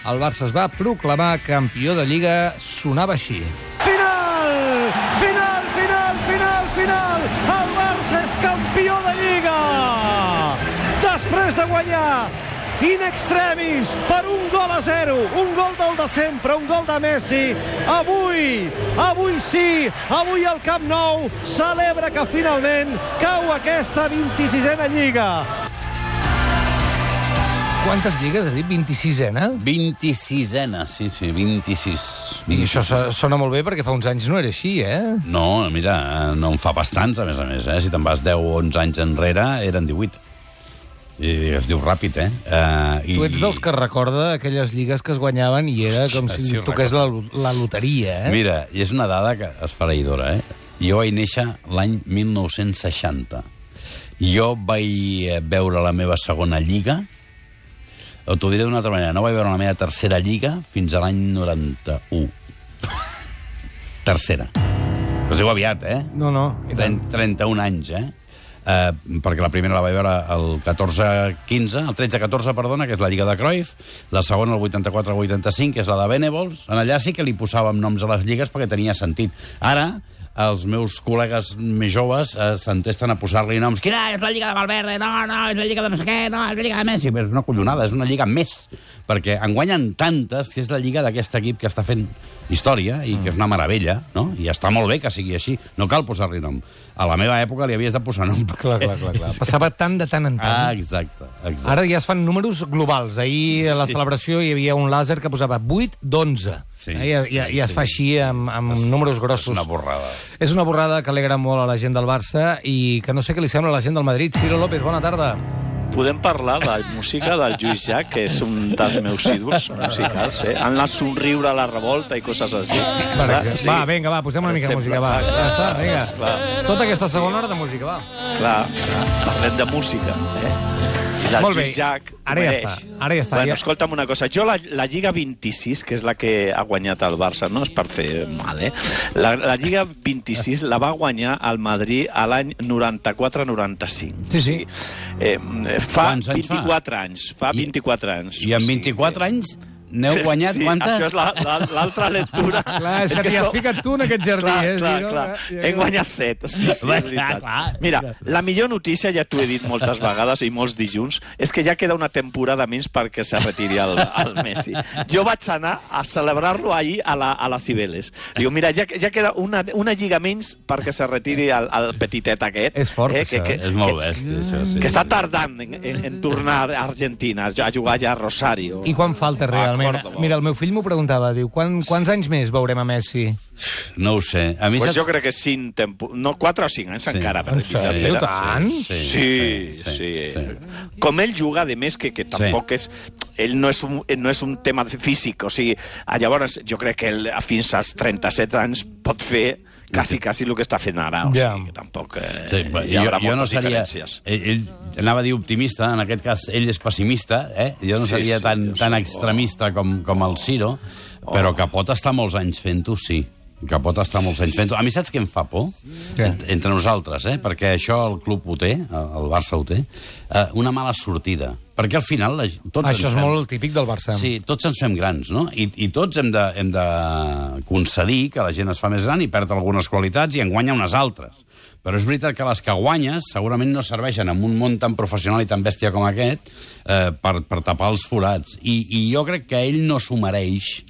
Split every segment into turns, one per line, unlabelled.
el Barça es va proclamar campió de Lliga, sonava així.
Final! Final, final, final, final! El Barça és campió de Lliga! Després de guanyar in extremis per 1-0, un gol del de sempre, un gol de Messi. Avui sí, avui el Camp Nou celebra que finalment cau aquesta 26a Lliga.
Quantes lligues, has dit? 26a?
26a, sí, 26.
I això sona molt bé perquè fa uns anys no era així, eh?
No, mira, no en fa bastants, a més, eh? Si te'n vas 10 o 11 anys enrere, eren 18. I es diu ràpid, eh?
Tu ets dels que recorda aquelles lligues que es guanyaven i era com si toqués la loteria, eh?
Mira, i és una dada que és esfereïdora, eh? Jo vaig néixer l'any 1960. Jo vaig veure la meva segona lliga, o t'ho diré d'una altra manera, no vaig veure la meva tercera lliga fins a l'any 91. Tercera. Us diu aviat, eh?
No.
31 anys, eh? Perquè la primera la vaig veure el 14-15, el 13-14, perdona, que és la Lliga de Cruyff, la segona el 84-85, que és la de Venables. En allà sí que li posàvem noms a les lligues perquè tenia sentit. Ara, els meus col·legues més joves s'entesten a posar-li noms. Quina és la Lliga de Valverde? No, és la Lliga de no sé què, no, és la Lliga de Messi. Però és una collonada, és una lliga més. Perquè en guanyen tantes que és la lliga d'aquest equip que està fent història i que és una meravella, no? I està molt bé que sigui així. No cal posar-li nom. A la meva època li havies de posar nom.
Clar. Passava tant de tant en tant.
Exacte.
Ara ja es fan números globals. Ahir a la celebració hi havia un làser que posava 8 d'11. Ja es fa així amb números grossos.
És una borrada.
És una borrada que alegra molt a la gent del Barça i que no sé què li sembla a la gent del Madrid. Ciro López, bona tarda.
Podem parlar de música del Lluís Llach, que és un dels meus ídols musicals, eh? Han anat somriure a la revolta i coses així.
Va, vinga, posem una mica de música, va. Ja està, vinga. Tota aquesta segona hora de música, va.
Clar, parlem de música, eh?
Molt bé,
ara ja està. Bueno, escolta'm una cosa, jo la Lliga 26, que és la que ha guanyat el Barça, no és per fer mal, eh? La Lliga 26 la va guanyar el Madrid a l'any 94-95.
Sí.
Fa 24 anys. Fa 24 anys.
I en 24 anys n'heu guanyat quantes?
Això és l'altra lectura.
Clar, és que t'hi has ficat tu en aquest jardí, eh?
Clar. Hem guanyat 7. Sí, és veritat. Mira, la millor notícia, ja t'ho he dit moltes vegades i molts dilluns, és que ja queda una temporada menys perquè se retiri el Messi. Jo vaig anar a celebrar-lo ahir a la Cibeles. Digo, mira, ja queda una lliga menys perquè se retiri el petitet aquest.
És fort, això.
És molt bèstia, això, sí.
Que està tardant en tornar a Argentina, a jugar ja a Rosario.
I quan falta realment? Mira, el meu fill m'ho preguntava, diu, quants anys més veurem a Messi?
No ho sé. A mi
pues jo crec que 4 o 5 anys encara.
Diu tant?
Sí. Com ell juga, a més, que tampoc és... Ell no és un tema físic, o sigui, llavors jo crec que ell fins als 37 anys pot fer quasi el que està fent ara, o sigui, que tampoc hi haurà moltes diferències.
Ell anava a dir optimista, en aquest cas ell és pessimista, jo no seria tan extremista com el Ciro, però que pot estar molts anys fent-ho, sí. Que pot estar molts anys fent-ho. A mi saps què em fa por? Entre nosaltres, perquè això el club ho té, el Barça ho té, una mala sortida. Perquè al final
això és molt típic del Barça.
Sí, tots ens fem grans, no? I tots hem de concedir que la gent es fa més gran i perd algunes qualitats i en guanya unes altres. Però és veritat que les que guanyes segurament no serveixen en un món tan professional i tan bèstia com aquest per tapar els forats. I jo crec que ell no s'ho mereix,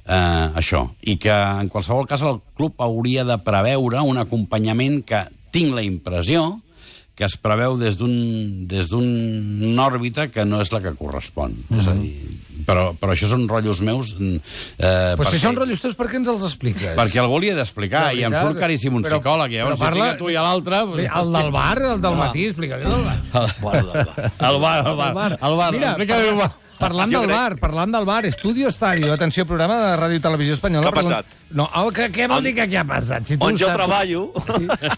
això. I que en qualsevol cas el club hauria de preveure un acompanyament que tinc la impressió que es preveu des d'una òrbita que no és la que correspon. És a dir, però això són rotllos meus...
Però si són rotllos teus, per què ens els expliques?
Perquè algú li he d'explicar, i em surt caríssim un psicòleg, i llavors si tu i l'altre...
El del bar, el del matí, explica-li el del bar. El bar, explica-li el bar. Parlant del bar, Estudio Estadio, atenció, programa de Ràdio i Televisió Espanyola.
Què ha passat?
No, què vol dir que què ha passat?
On jo treballo...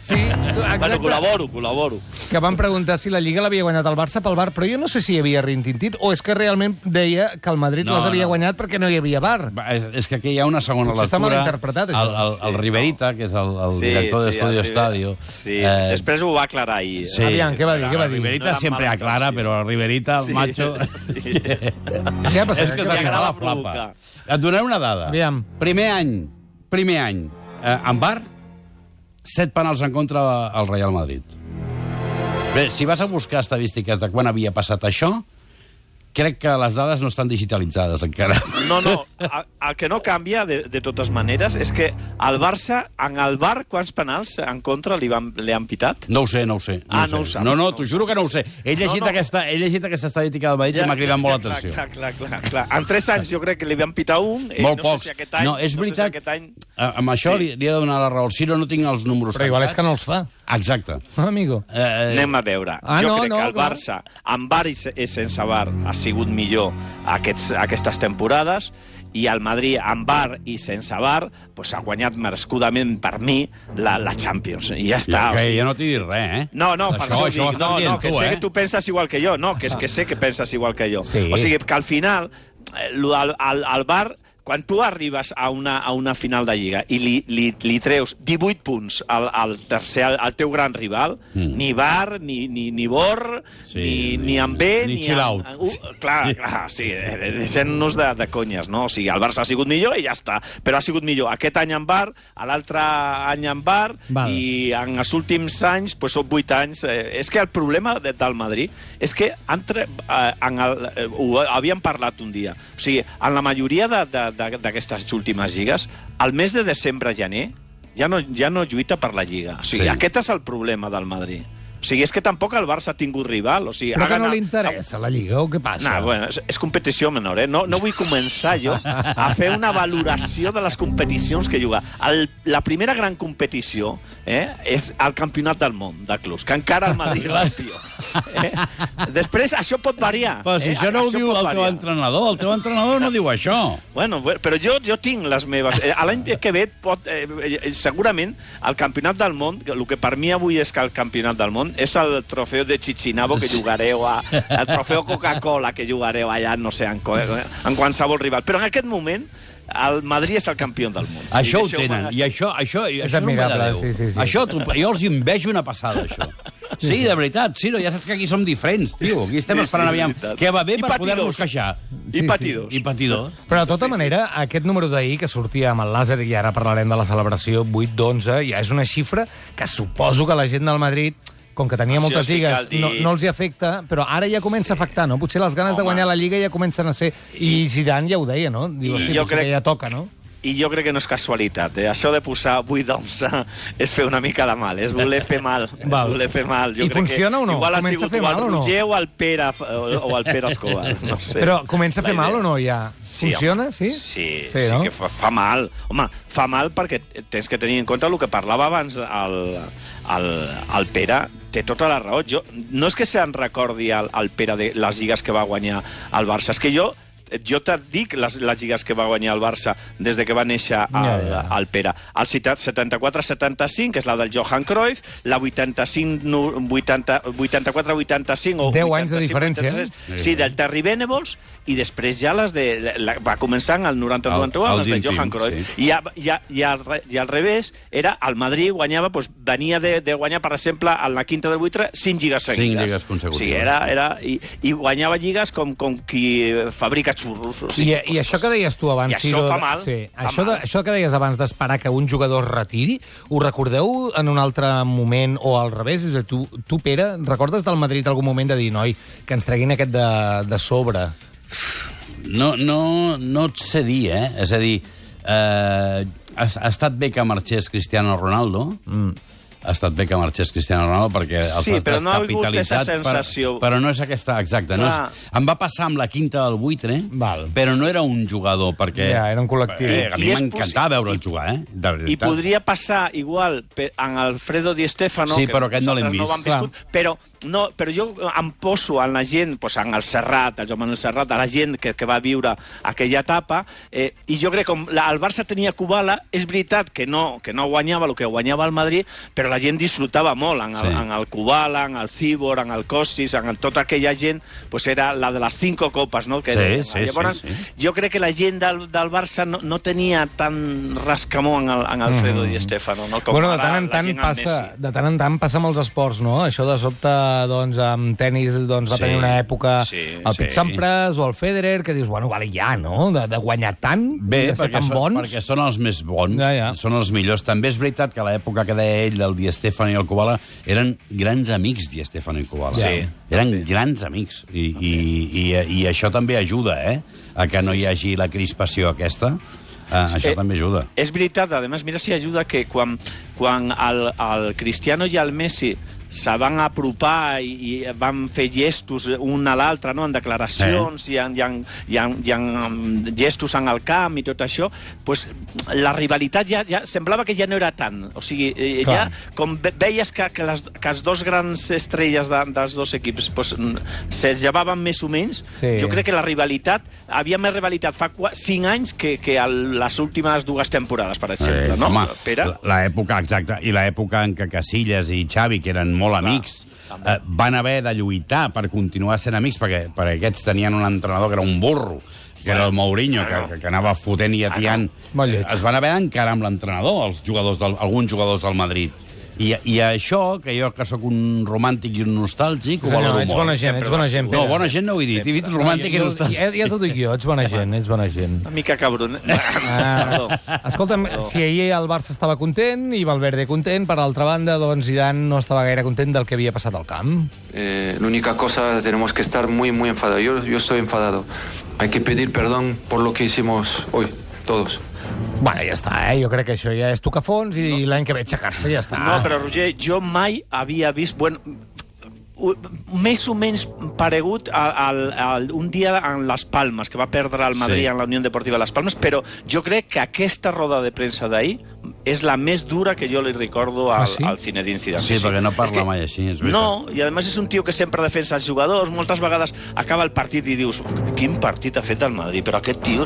Sí,
bueno, col·laboro.
Que van preguntar si la Lliga l'havia guanyat el Barça pel bar, però jo no sé si hi havia rintintit o és que realment deia que el Madrid les havia guanyat perquè no hi havia bar.
És que aquí hi ha una segona lectura.
Està mal interpretat, això.
El Riverita, que és el director d'Estudio Estadio...
Sí, després ho va aclarar ahir.
Aviam, què va dir?
El Riverita sempre aclara, però el Riverita, el macho...
Què ha passat?
És que se li agrada la flapa. Et donaré una dada.
Aviam.
Primer any, en bar, 7 penals en contra al Real Madrid. Bé, si vas a buscar estadístiques de quan havia passat això, crec que les dades no estan digitalitzades encara.
No, el que no canvia, de totes maneres, és que el Barça, en el bar, quants penals en contra li han pitat?
No ho sé.
No ho saps.
No, t'ho juro que no ho sé. He llegit aquesta estadística del Madrid i m'ha cridat molt l'atenció.
Clar. En 3 anys jo crec que li van pitar un.
Molt
no
pocs.
sé si aquest any,
no, és veritat, amb això li he de donar la raó. El Ciro no tinc els números
Però igual és que no els fa.
Exacte.
Amigo.
Anem a veure. Jo crec que el Barça, amb bar i sense bar, ha sigut millor aquestes temporades, i el Madrid, amb bar i sense bar, pues, ha guanyat merescudament, per mi, la Champions. I ja està.
Jo no t'he dit res, eh?
No, per això dic. No, que sé que tu penses igual que jo. No, que és que sé que penses igual que jo.
Sí.
O sigui, que al final, el bar... Quan tu arribes a una final de Lliga i li treus 18 punts al teu gran rival, ni Bar, ni Bor, ni Ambé,
ni chill out.
Clar, sí, deixem-nos de conyes, no? O sigui, el Barça ha sigut millor i ja està, però ha sigut millor aquest any en Bar, l'altre any en Bar, i en els últims anys, doncs són 8 anys. És que el problema del Madrid és que ho havíem parlat un dia. O sigui, en la majoria d'aquestes últimes lligues, al mes de desembre-gener ja no lluita per la Lliga. O sigui, aquest és el problema del Madrid. O sigui, és que tampoc el Barça ha tingut rival. O sigui,
però que no li interessa la Lliga, o què passa?
No, bueno, és competició menor, eh? No vull començar jo a fer una valoració de les competicions que juga. La primera gran competició és el Campionat del Món de clubs, que encara el Madrid és campió. Després, això pot variar.
Però si això no ho diu el teu entrenador no diu això.
Bueno, però jo tinc les meves... L'any que ve, segurament, el Campionat del Món, el que per mi avui és que el Campionat del Món és el trofeu de Chichinabo que jugareu el trofeu Coca-Cola que jugareu allà, no sé, en qualsevol rival. Però en aquest moment el Madrid és el campió del món.
Això ho tenen, i això és admirable. Sí. Això, jo els envejo una passada, això. Sí, de veritat, sí, ja saps que aquí som diferents, tio. Aquí estem esperant aviam què va bé per poder-nos queixar.
I patidors.
Però de tota manera, aquest número d'ahir que sortia amb el làser, i ara parlarem de la celebració 8-11, ja és una xifra que suposo que la gent del Madrid, com que tenia moltes lligues, no els hi afecta, però ara ja comença a afectar, no? Potser les ganes de guanyar la Lliga ja comencen a ser... I Zidane ja ho deia, no? Diu, potser que ja toca, no?
I jo crec que no és casualitat. Això de posar 8-11 és fer una mica de mal, és voler fer mal.
I funciona o no?
Igual ha sigut o el Roger o el Pere Escobar. No sé.
Però comença a fer mal o no ja? Funciona, sí?
Sí, que fa mal. Home, fa mal perquè tens que tenir en compte el que parlava abans el Pere. Té tota la raó. No és que se'n recordi el Pere de les lligues que va guanyar el Barça, és que jo te'n dic les lligues que va guanyar el Barça des de que va néixer el Pere. El 74-75, que és la del Johan Cruyff, la 84-85 o
10 anys de diferència.
Sí, del Terry Venables, i després ja les de... Va començar en el 90-91, les de Johan Cruyff. I al revés, era el Madrid guanyava, venia de guanyar, per exemple, en la quinta del buitre, 5 lligues seguides.
5 lligues consecutives.
Sí, i guanyava lligues com qui fabrica xurros.
I això que deies tu abans...
I això fa mal.
Això que deies abans d'esperar que un jugador es retiri, ho recordeu en un altre moment o al revés? És a dir, tu, Pere, recordes del Madrid algun moment de dir, noi, que ens treguin aquest de sobre?
No et sé dir, eh? És a dir, ha estat bé que marxés Cristiano Ronaldo, ha estat bé que marxés Cristiano Ronaldo perquè els
has descapitalitzat,
però no és aquesta exacta. No és, em va passar amb la quinta del buitre, però no era un jugador, perquè...
Ja, era un col·lectiu.
A mi m'encantava veure'l jugar, eh?
I podria passar igual en Alfredo Di Stéfano,
sí, però aquest no l'hem vist.
Però jo em poso en la gent, en el Serrat, el Joan Manuel Serrat, a la gent que va viure aquella etapa, i jo crec que el Barça tenia Kubala, és veritat que no guanyava el que guanyava el Madrid, però però la gent disfrutava molt en el Kubala, en el Cibor, en el Kostis, en tota aquella gent, pues era la de les 5 copes, no? Llavors, jo crec que la gent del Barça no tenia tant rascamó en Alfredo Di Stéfano, no? Com
bueno, de tant en tant passa amb els esports, no? Això de sobte, doncs, amb tenis va tenir una època el Pete Sampras o el Federer, que dius, bueno, vale, ja, no? De guanyar tant, de ser tan bons.
Perquè són els més bons, són els millors. També és veritat que a l'època que deia ell, del Di Stéfano i el Kubala, eren grans amics, Di Stéfano i Kubala. Eren grans amics. I això també ajuda, a que no hi hagi la crispació aquesta. Això també ajuda.
És veritat, a més, mira si ajuda que quan el Cristiano i el Messi se van apropar i van fer gestos un a l'altre, no? En declaracions i en gestos en el camp i tot això, pues, la rivalitat ja semblava que ja no era tant. O sigui, ja com veies que les dos grans estrelles dels dos equips pues, se llevaven més o menys, jo crec que la rivalitat, havia més rivalitat fa 5 anys que les últimes 2 temporades, per exemple. No?
Home, l'època, exacta, i l'època en què Casillas i Xavi, que eren molt amics, van haver de lluitar per continuar sent amics, perquè aquests tenien un entrenador que era un burro, que era el Mourinho, que anava fotent i atiant. Es van haver d'encarar amb l'entrenador, alguns jugadors del Madrid. I això, que jo que sóc un romàntic i un nostàlgic, ho valoro molt.
Ets bona gent.
No, bona gent no ho he dit, he dit romàntic i nostàlgic.
Ja t'ho dic jo, ets bona gent.
Una mica cabron.
Escolta'm, si ahir el Barça estava content i Valverde content, per l'altra banda, doncs Zidane no estava gaire content del que havia passat al camp.
L'única cosa, tenemos que estar muy, muy enfadados. Yo estoy enfadado. Hay que pedir perdón por lo que hicimos hoy, todos.
Bueno, ja està, jo crec que això ja és tocar fons i l'any que ve aixecar-se ja està.
No, però Roger, jo mai havia vist... Bueno, més o menys paregut un dia en Les Palmes, que va perdre el Madrid en la Unió Deportiva Les Palmes, però jo crec que aquesta roda de premsa d'ahir és la més dura que jo li recordo al Zinedine Zidane.
Sí, perquè no parla mai així, és veritat.
No, i a més és un tio que sempre defensa els jugadors, moltes vegades acaba el partit i dius, quin partit ha fet el Madrid, però aquest tio...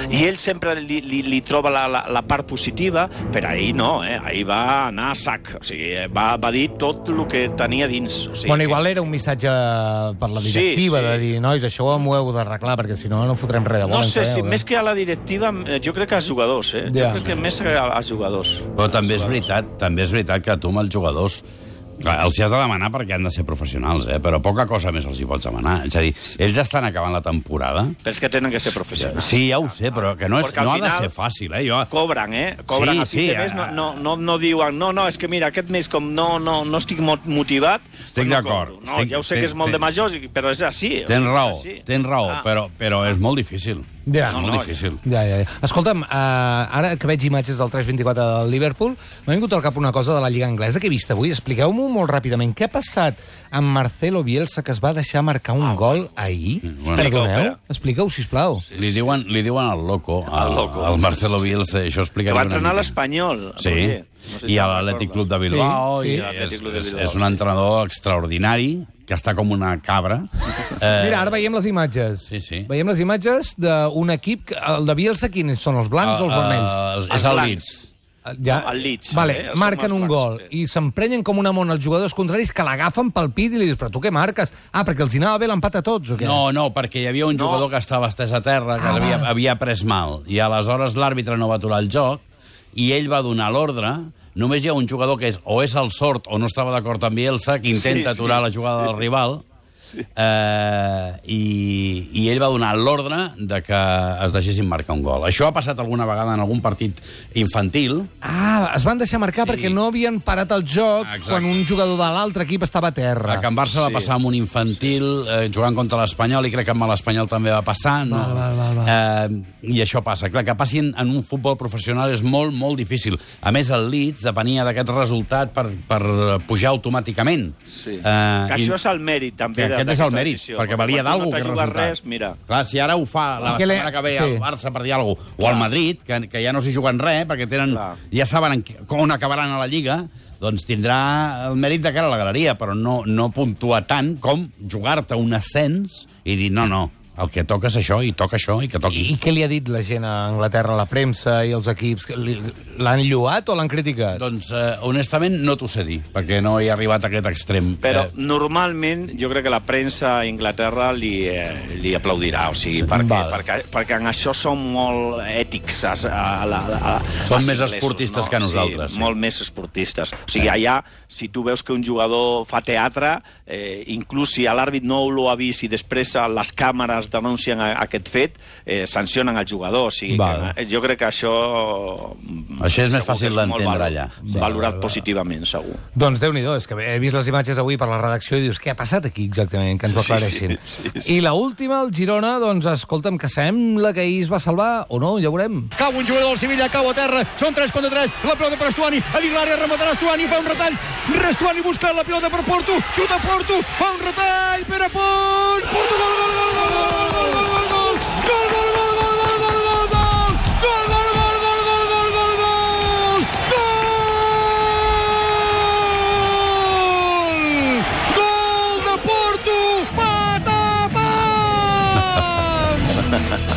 I ell sempre li troba la part positiva, però ahir no, ahir va anar a sac, o sigui, va dir tot el que tenia dins.
Bueno, igual era un missatge per la directiva de dir, nois, això m'ho heu d'arreglar, perquè si no, no fotrem res de bo.
No sé, si més que a la directiva, jo crec que als jugadors, jo crec que més als jugadors.
Però també és veritat que tu amb els jugadors els has de demanar perquè han de ser professionals, però poca cosa més els hi pots demanar. És a dir, ells estan acabant la temporada...
Però és que tenen que ser professionals.
Sí, ja ho sé, però que no ha de ser fàcil,
Cobren, Cobren a fi de mes, no diuen, no, és que mira, aquest mes com no estic motivat...
Estic d'acord.
No, ja ho sé que és molt de majors, però és així.
Tens raó, però és molt difícil. Molt difícil.
Escolta'm, ara que veig imatges del 3-24 del Liverpool, m'ha vingut al cap una cosa de la Lliga Anglesa que he vist avui. Expliqueu-m'ho molt ràpidament. Què ha passat amb Marcelo Bielsa, que es va deixar marcar un gol ahir? Perdoneu? Expliqueu, sisplau.
Li diuen el loco, al Marcelo Bielsa. Això explica.
Que va entrenar l'Espanyol.
Sí, i a l'Atlètic Club de Bilbao. És un entrenador extraordinari, que està com una cabra.
Mira, ara veiem les imatges.
Sí.
Veiem les imatges d'un equip... El de Bielsa, quins són, els blancs o els vermells?
És el Leeds.
El Leeds.
Vale, marquen un gol i s'emprenyen com una mona els jugadors contraris que l'agafen pel pit i li dius, però tu què marques? Perquè els hi anava bé l'empat a tots o què?
No, perquè hi havia un jugador que estava estès a terra, que havia pres mal, i aleshores l'àrbitre no va aturar el joc i ell va donar l'ordre. Només hi ha un jugador que o és el sort o no estava d'acord amb Bielsa, que intenta aturar la jugada del rival, i ell va donar l'ordre de que es deixessin marcar un gol. Això ha passat alguna vegada en algun partit infantil.
Es van deixar marcar perquè no havien parat el joc quan un jugador de l'altre equip estava a terra.
A Can Barça va passar amb un infantil jugant contra l'Espanyol, i crec que amb l'Espanyol també va passar. I això passa. Clar, que passi en un futbol professional és molt, molt difícil. A més, el Leeds depenia d'aquest resultat per pujar automàticament.
Que això és el mèrit, també,
aquest és el mèrit, perquè valia d'algú que resultat. Clar, si ara ho fa la setmana que ve al Barça per dir alguna cosa, o al Madrid, que ja no s'hi juguen res, perquè ja saben on acabaran a la Lliga, doncs tindrà el mèrit de cara a la galeria, però no puntua tant com jugar-te un ascens i dir, no, El que toca és això, i toca això, i que toqui.
I què li ha dit la gent a Anglaterra, la premsa i els equips? L'han lloat o l'han criticat?
Doncs, honestament, no t'ho sé dir, perquè no he arribat a aquest extrem.
Però normalment jo crec que la premsa a Anglaterra li aplaudirà, o sigui, perquè en això són molt ètics.
Són més esportistes que nosaltres.
Sí, molt més esportistes. O sigui, allà, si tu veus que un jugador fa teatre, inclús si l'àrbit no ho ha vist i després les càmeres denuncien aquest fet, sancionen el jugador. O sigui, jo crec que això
és més fàcil d'entendre allà.
Valorat positivament, segur.
Doncs Déu-n'hi-do, és que he vist les imatges avui per la redacció i dius, què ha passat aquí exactament? Que ens ho aclareixin. I l'última, el Girona, doncs escolta'm, que sembla que ahir es va salvar, o no, ja veurem.
Cau un jugador del Sevilla, cau a terra, són 3 contra 3, la pilota per Estuani, a dins l'àrea rematarà Estuani, fa un retall, Estuani busca la pilota per Porto, xuta Porto, fa un retall, Pere Pont, Porto, gol, gol, gol, gol, gol,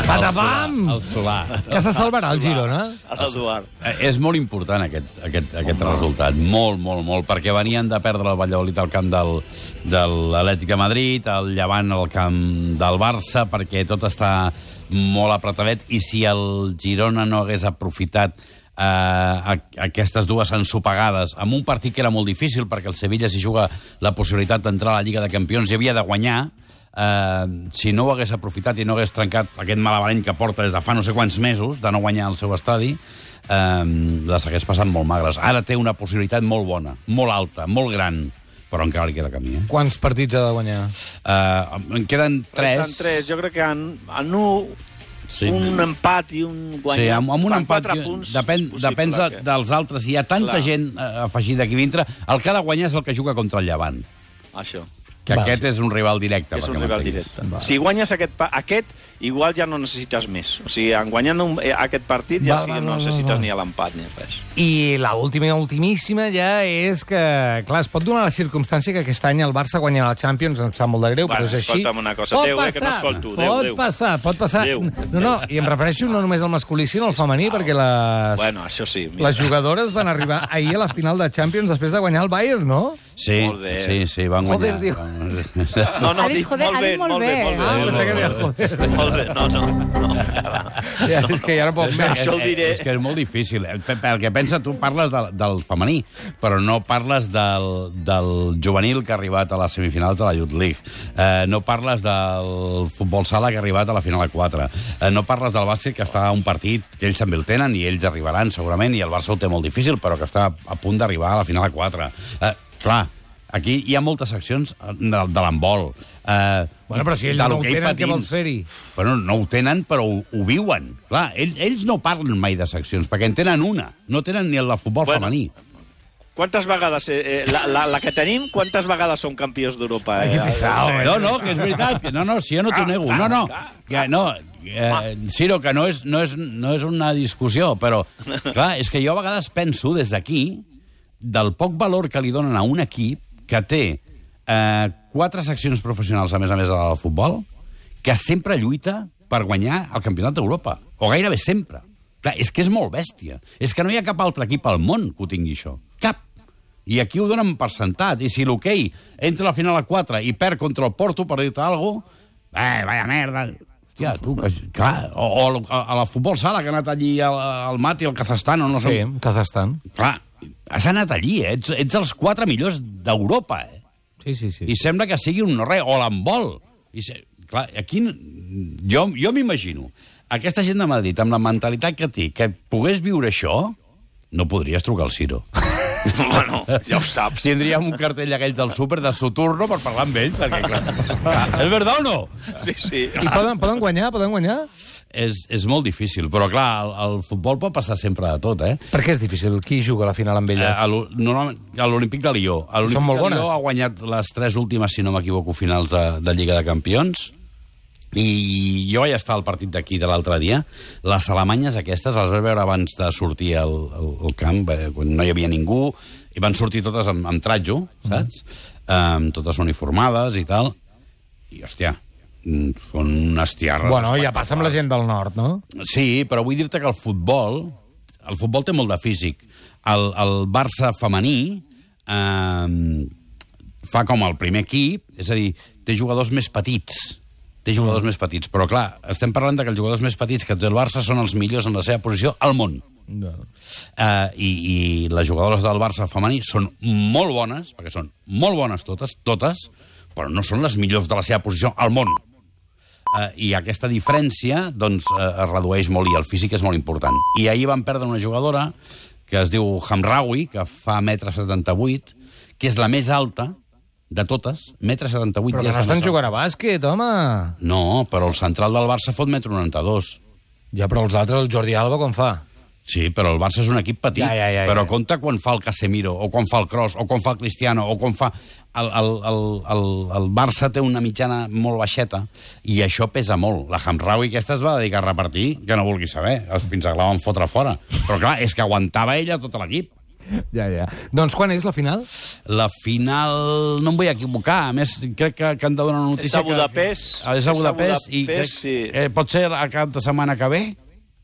Patapam!
El Solà.
Que se salvarà el Girona?
L'Eduard.
És molt important aquest resultat, molt, molt, molt, perquè venien de perdre el Valladolid al camp de l'Atlètic de Madrid, el Llevant al camp del Barça, perquè tot està molt apretadet, i si el Girona no hagués aprofitat aquestes dues ensopegades amb un partit que era molt difícil, perquè el Sevilla s'hi juga la possibilitat d'entrar a la Lliga de Campions i havia de guanyar, si no ho hagués aprofitat i no hagués trencat aquest malabareny que porta des de fa no sé quants mesos de no guanyar el seu estadi, les hagués passat molt magres. Ara té una possibilitat molt bona, molt alta, molt gran, però encara li queda camí.
Quants partits ha de guanyar?
En queden 3.
Resten 3. Jo crec que en un empat i un guanyat.
Sí, amb un empat,
4 punts
depèn dels altres. Hi ha tanta gent afegida aquí dintre. El que ha de guanyar és el que juga contra el Llevant.
Això.
Que aquest és un rival directe.
És un rival directe. Si guanyes aquest, igual ja no necessites més. O sigui, en guanyant aquest partit ja no necessites ni l'empat ni res.
I l'ultimíssima ja és que, clar, es pot donar la circumstància que aquest any el Barça guanya la Champions, em sap molt de greu, però és així.
Escolta'm una cosa, Déu, que no escolto.
Pot passar. No, i em refereixo no només al masculí, sinó al femení, perquè les jugadores van arribar ahir a la final de Champions després de guanyar el Bayern, no?
Sí, van guanyar.
Joder, diu.
No, dic molt bé.
Molt bé, no. És que ja no puc més.
Això ho diré.
És que és molt difícil. Perquè pensa, tu parles del femení, però no parles del juvenil que ha arribat a les semifinals de la Youth League. No parles del futbol sala que ha arribat a la final a 4. No parles del bàsquet, que està a un partit que ells també el tenen i ells arribaran segurament, i el Barça ho té molt difícil, però que està a punt d'arribar a la final a 4. Clar, aquí hi ha moltes seccions de l'handbol.
Però si ells no ho tenen, què vols fer-hi?
Bueno, no ho tenen, però ho viuen. Clar, ells no parlen mai de seccions, perquè en tenen una. No tenen ni el de futbol femení.
Quantes vegades, la que tenim, quantes vegades són campions d'Europa?
No, que és veritat. No, si jo no t'ho nego. Ciro, que no és una discussió, però, clar, és que jo a vegades penso des d'aquí del poc valor que li donen a un equip que té 4 seccions professionals, a més del futbol, que sempre lluita per guanyar el Campionat d'Europa. O gairebé sempre. Clar, és que és molt bèstia. És que no hi ha cap altre equip al món que ho tingui, això. Cap. I aquí ho donen per sentat. I si l'hoquei entra a la final a 4 i perd contra el Porto, per dir-te alguna cosa, vaya merda. Hòstia, tu, clar, o a la futbol sala, que ha anat allí al Mat i al Kazajstan, o no sé.
Sí, Kazajstan.
Clar, has anat allí, ets els 4 millors d'Europa,
Sí.
I sembla que sigui un no-res, o l'handbol. Clar, aquí jo m'imagino aquesta gent de Madrid, amb la mentalitat que té, que pogués viure això, no podries trucar al Ciro.
Bueno, ja ho saps.
Tindríem un cartell aquells del súper de Soturno per parlar amb ell, perquè, clar, és veritat o no?
Sí.
I poden guanyar?
És molt difícil, però clar, el futbol pot passar sempre de tot,
Per què és difícil? Qui juga a la final amb elles?
A l'Olímpic de Lió. L'Olímpic de Lió ha guanyat les 3 últimes, si no m'equivoco, finals de Lliga de Campions, i jo vaig estar al partit d'aquí de l'altre dia. Les alemanyes aquestes les vaig veure abans de sortir al camp, quan no hi havia ningú, i van sortir totes amb tratjo, saps? Totes uniformades i tal. I, hòstia, són unes tierres...
Bueno, ja passa amb la gent del nord, no?
Sí, però vull dir-te que el futbol té molt de físic. El Barça femení fa com el primer equip, és a dir, té jugadors més petits. Però clar, estem parlant que els jugadors més petits que té el Barça són els millors en la seva posició al món. I les jugadores del Barça femení són molt bones, perquè són molt bones totes, però no són les millors de la seva posició al món. I aquesta diferència doncs, es redueix molt i el físic és molt important. I ahir van perdre una jugadora que es diu Hamraoui, que fa 1,78 m, que és la més alta de totes, 1,78 m.
Però que no estan jugant a bàsquet, home!
No, però el central del Barça fot 1,92 m.
Ja, però els altres, el Jordi Alba, com fa?
Sí, però el Barça és un equip petit. Però compta quan fa el Casemiro, o quan fa el Kroos, o quan fa el Cristiano, o quan fa... El Barça té una mitjana molt baixeta, i això pesa molt. La Hamraoui aquesta es va dedicar a repartir, que no vulgui saber, fins que la van fotre fora. Però clar, és que aguantava ella tot l'equip.
Ja. Doncs quan és la final?
La final... No em vull equivocar. A més, crec que han de donar una notícia...
És a Budapest.
És a Budapest, i crec... Pot ser a cap de setmana que ve?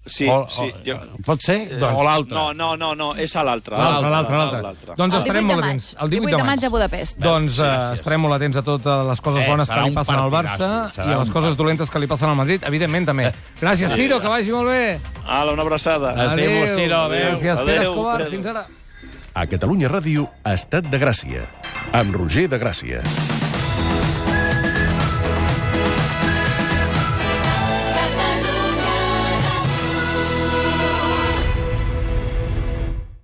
Sí.
Pot ser? O l'altre?
No, és a l'altre.
L'altre. Doncs estarem molt atents.
El 18 de maig a Budapest.
Doncs estarem molt atents a totes les coses bones que li passen al Barça i a les coses dolentes que li passen al Madrid, evidentment també. Gràcies, Ciro, que vagi molt bé.
Una abraçada.
Adéu, Ciro. Gràcies, Pere Escobar. Fins ara.
A Catalunya Ràdio, Estat de Gràcia, amb Roger de Gràcia.